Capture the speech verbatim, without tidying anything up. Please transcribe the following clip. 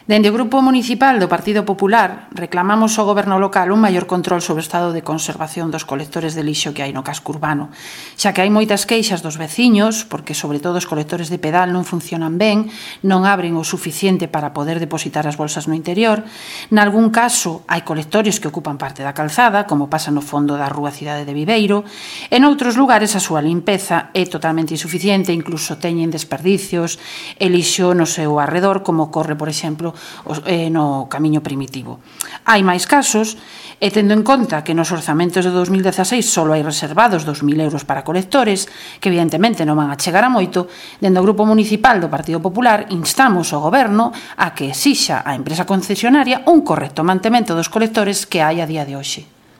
Dende o Grupo Municipal do Partido Popular reclamamos ao Goberno local un maior control sobre o estado de conservación dos colectores de lixo que hai no casco urbano, xa que hai moitas queixas dos veciños, porque sobre todo os colectores de pedal non funcionan ben, non abren o suficiente para poder depositar as bolsas no interior. Nalgún caso hai colectores que ocupan parte da calzada, como pasa no fondo da rúa Cidade de Viveiro, e noutros lugares a súa limpeza é totalmente insuficiente, incluso teñen desperdicios e lixo no seu arredor, como ocorre, por exemplo, no camiño primitivo. Hai máis casos, e tendo en conta que nos orzamentos de dos mil dezaseis só hai reservados dos mil euros para colectores, que evidentemente non van a chegar a moito, dende o Grupo Municipal do Partido Popular instamos ao Goberno a que exixa á empresa concesionaria un correcto mantemento dos colectores que hai a día de hoxe.